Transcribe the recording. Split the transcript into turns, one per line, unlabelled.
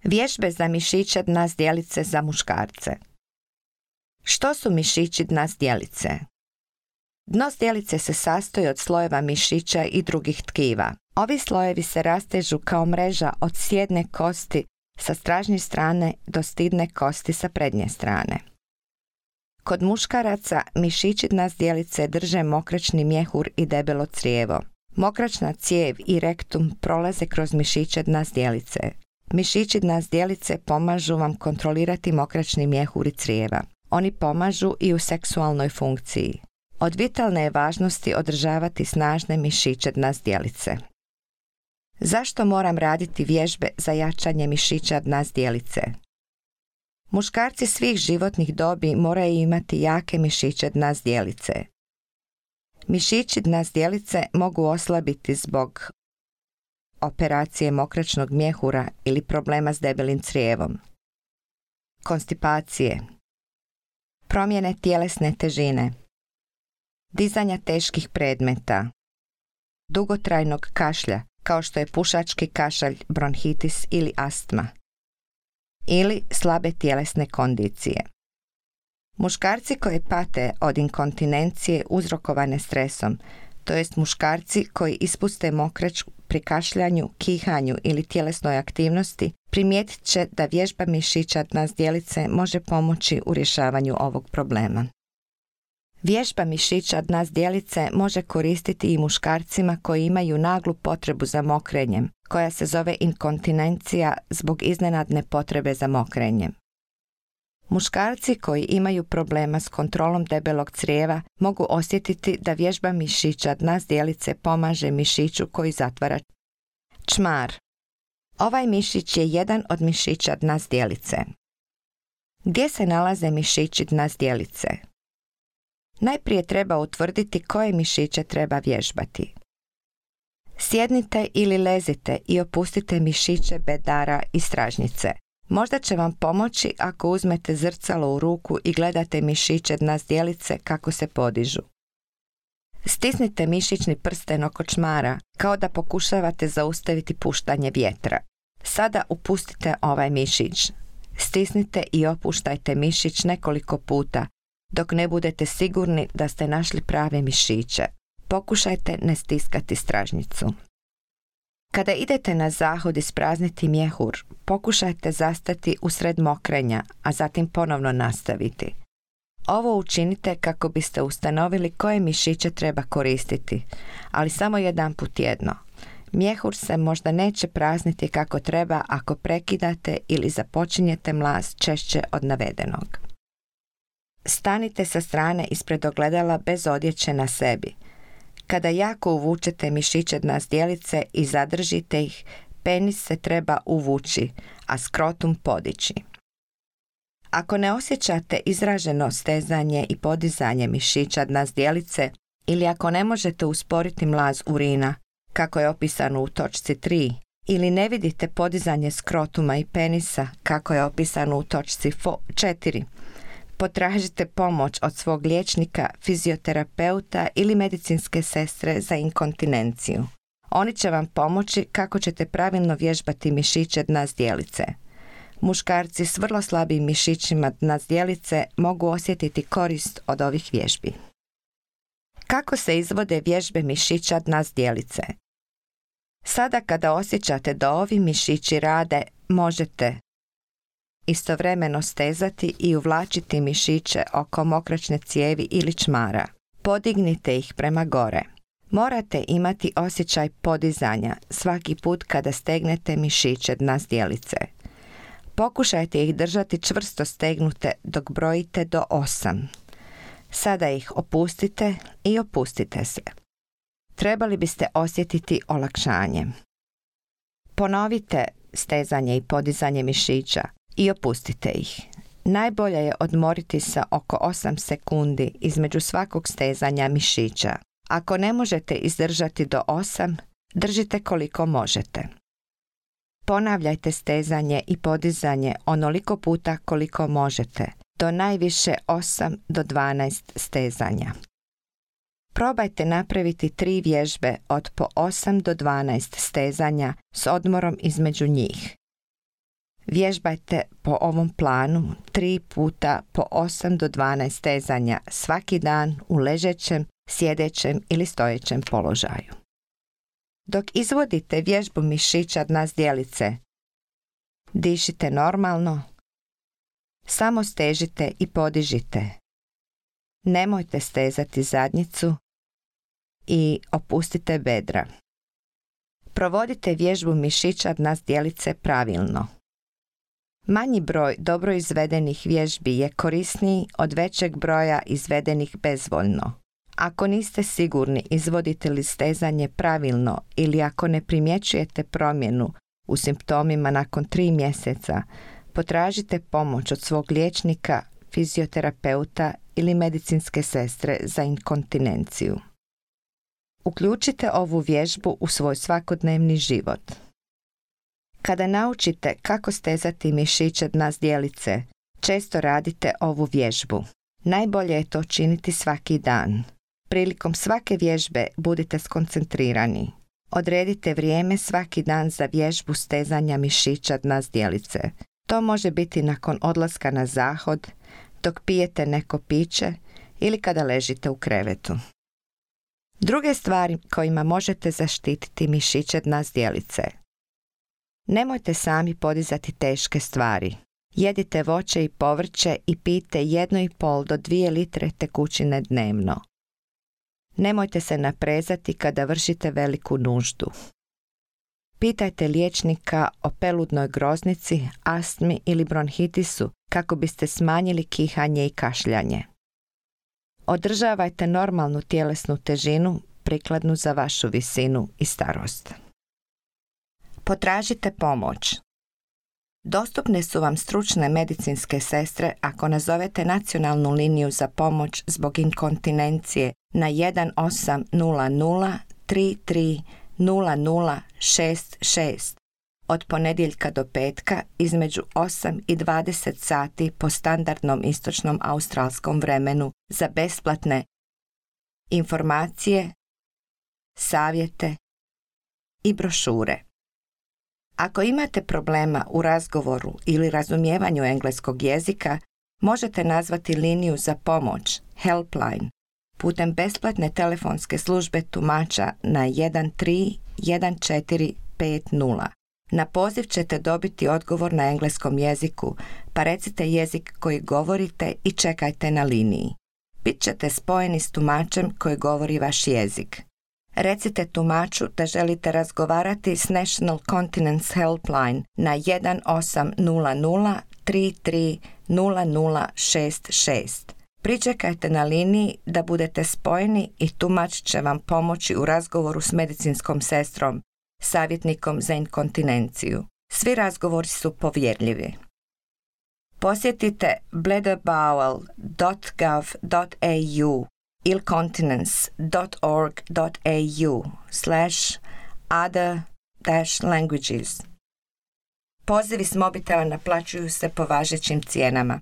Vježbe za mišiće dna zdjelice za muškarce. Što su mišići dna zdjelice? Dno zdjelice se sastoji od slojeva mišića i drugih tkiva. Ovi slojevi se rastežu kao mreža od sjedne kosti sa stražnje strane do stidne kosti sa prednje strane. Kod muškaraca mišići dna zdjelice drže mokračni mjehur i debelo crijevo. Mokračna cijev i rektum prolaze kroz mišiće dna zdjelice. Mišići dna zdjelice pomažu vam kontrolirati mokračni mjehur i crijeva. Oni pomažu i u seksualnoj funkciji. Od vitalne je važnosti održavati snažne mišiće dna zdjelice. Zašto moram raditi vježbe za jačanje mišića dna zdjelice? Muškarci svih životnih dobi moraju imati jake mišiće dna zdjelice. Mišići dna zdjelice mogu oslabiti zbog operacije mokračnog mjehura ili problema s debelim crijevom, konstipacije, promjene tjelesne težine, dizanja teških predmeta, dugotrajnog kašlja kao što je pušački kašalj, bronhitis ili astma, ili slabe tjelesne kondicije. Muškarci koji pate od inkontinencije uzrokovane stresom, to jest muškarci koji ispuste mokrač pri kašljanju, kihanju ili tjelesnoj aktivnosti, primijetit će da vježba mišića dna zdjelice može pomoći u rješavanju ovog problema. Vježba mišića dna zdjelice može koristiti i muškarcima koji imaju naglu potrebu za mokrenjem, koja se zove inkontinencija zbog iznenadne potrebe za mokrenjem. Muškarci koji imaju problema s kontrolom debelog crijeva mogu osjetiti da vježba mišića dna zdjelice pomaže mišiću koji zatvara čmar. Ovaj mišić je jedan od mišića dna zdjelice. Gdje se nalaze mišići dna zdjelice? Najprije treba utvrditi koje mišiće treba vježbati. Sjednite ili lezite i opustite mišiće bedara i stražnjice. Možda će vam pomoći ako uzmete zrcalo u ruku i gledate mišiće dna zdjelice kako se podižu. Stisnite mišićni prsten oko čmara kao da pokušavate zaustaviti puštanje vjetra. Sada upustite ovaj mišić. Stisnite i opuštajte mišić nekoliko puta dok ne budete sigurni da ste našli prave mišiće. Pokušajte ne stiskati stražnjicu. Kada idete na zahod isprazniti mjehur, pokušajte zastati usred mokrenja, a zatim ponovno nastaviti. Ovo učinite kako biste ustanovili koje mišiće treba koristiti, ali samo jedanput tjedno. Mjehur se možda neće prazniti kako treba ako prekidate ili započinjete mlaz češće od navedenog. Stanite sa strane ispred ogledala bez odjeće na sebi. Kada jako uvučete mišiće dna zdjelice i zadržite ih, penis se treba uvući, a skrotum podići. Ako ne osjećate izraženo stezanje i podizanje mišića dna zdjelice ili ako ne možete usporiti mlaz urina, kako je opisano u točci 3, ili ne vidite podizanje skrotuma i penisa, kako je opisano u točci 4, potražite pomoć od svog liječnika, fizioterapeuta ili medicinske sestre za inkontinenciju. Oni će vam pomoći kako ćete pravilno vježbati mišiće dna zdjelice. Muškarci s vrlo slabim mišićima dna zdjelice mogu osjetiti korist od ovih vježbi. Kako se izvode vježbe mišića dna zdjelice? Sada kada osjećate da ovi mišići rade, možete istovremeno stezati i uvlačiti mišiće oko mokračne cijevi ili čmara. Podignite ih prema gore. Morate imati osjećaj podizanja svaki put kada stegnete mišiće dna zdjelice. Pokušajte ih držati čvrsto stegnute dok brojite do 8. Sada ih opustite i opustite se. Trebali biste osjetiti olakšanje. Ponovite stezanje i podizanje mišića i opustite ih. Najbolje je odmoriti se oko 8 sekundi između svakog stezanja mišića. Ako ne možete izdržati do 8, držite koliko možete. Ponavljajte stezanje i podizanje onoliko puta koliko možete, do najviše 8 do 12 stezanja. Probajte napraviti 3 vježbe od po 8 do 12 stezanja s odmorom između njih. Vježbajte po ovom planu 3 puta po 8 do 12 stezanja svaki dan u ležećem, sjedećem ili stojećem položaju. Dok izvodite vježbu mišića dna zdjelice, dišite normalno, samo stežite i podižite. Nemojte stezati zadnjicu i opustite bedra. Provodite vježbu mišića dna zdjelice pravilno. Manji broj dobro izvedenih vježbi je korisniji od većeg broja izvedenih bezvoljno. Ako niste sigurni izvodite li stezanje pravilno ili ako ne primjećujete promjenu u simptomima nakon 3 mjeseca, potražite pomoć od svog liječnika, fizioterapeuta ili medicinske sestre za inkontinenciju. Uključite ovu vježbu u svoj svakodnevni život. Kada naučite kako stezati mišiće dna zdjelice, često radite ovu vježbu. Najbolje je to činiti svaki dan. Prilikom svake vježbe budite skoncentrirani. Odredite vrijeme svaki dan za vježbu stezanja mišića dna zdjelice. To može biti nakon odlaska na zahod, dok pijete neko piće ili kada ležite u krevetu. Druge stvari kojima možete zaštititi mišiće dna zdjelice. Nemojte sami podizati teške stvari. Jedite voće i povrće i pijte 1,5 do 2 litre tekućine dnevno. Nemojte se naprezati kada vršite veliku nuždu. Pitajte liječnika o peludnoj groznici, astmi ili bronhitisu kako biste smanjili kihanje i kašljanje. Održavajte normalnu tjelesnu težinu prikladnu za vašu visinu i starost. Potražite pomoć. Dostupne su vam stručne medicinske sestre ako nazovete nacionalnu liniju za pomoć zbog inkontinencije na 1800 33 0066 od ponedjeljka do petka između 8 i 20 sati po standardnom istočnom australskom vremenu za besplatne informacije, savjete i brošure. Ako imate problema u razgovoru ili razumijevanju engleskog jezika, možete nazvati liniju za pomoć, Helpline, putem besplatne telefonske službe tumača na 131450. Na poziv ćete dobiti odgovor na engleskom jeziku, pa recite jezik koji govorite i čekajte na liniji. Bit ćete spojeni s tumačem koji govori vaš jezik. Recite tumaču da želite razgovarati s National Continence Helpline na 1800 33 0066. Pričekajte na liniji da budete spojeni i tumač će vam pomoći u razgovoru s medicinskom sestrom, savjetnikom za inkontinenciju. Svi razgovori su povjerljivi. Posjetite bladderbowel.gov.au ili continence.org.au/other-languages. Pozivi s mobitela naplaćuju se po važećim cijenama.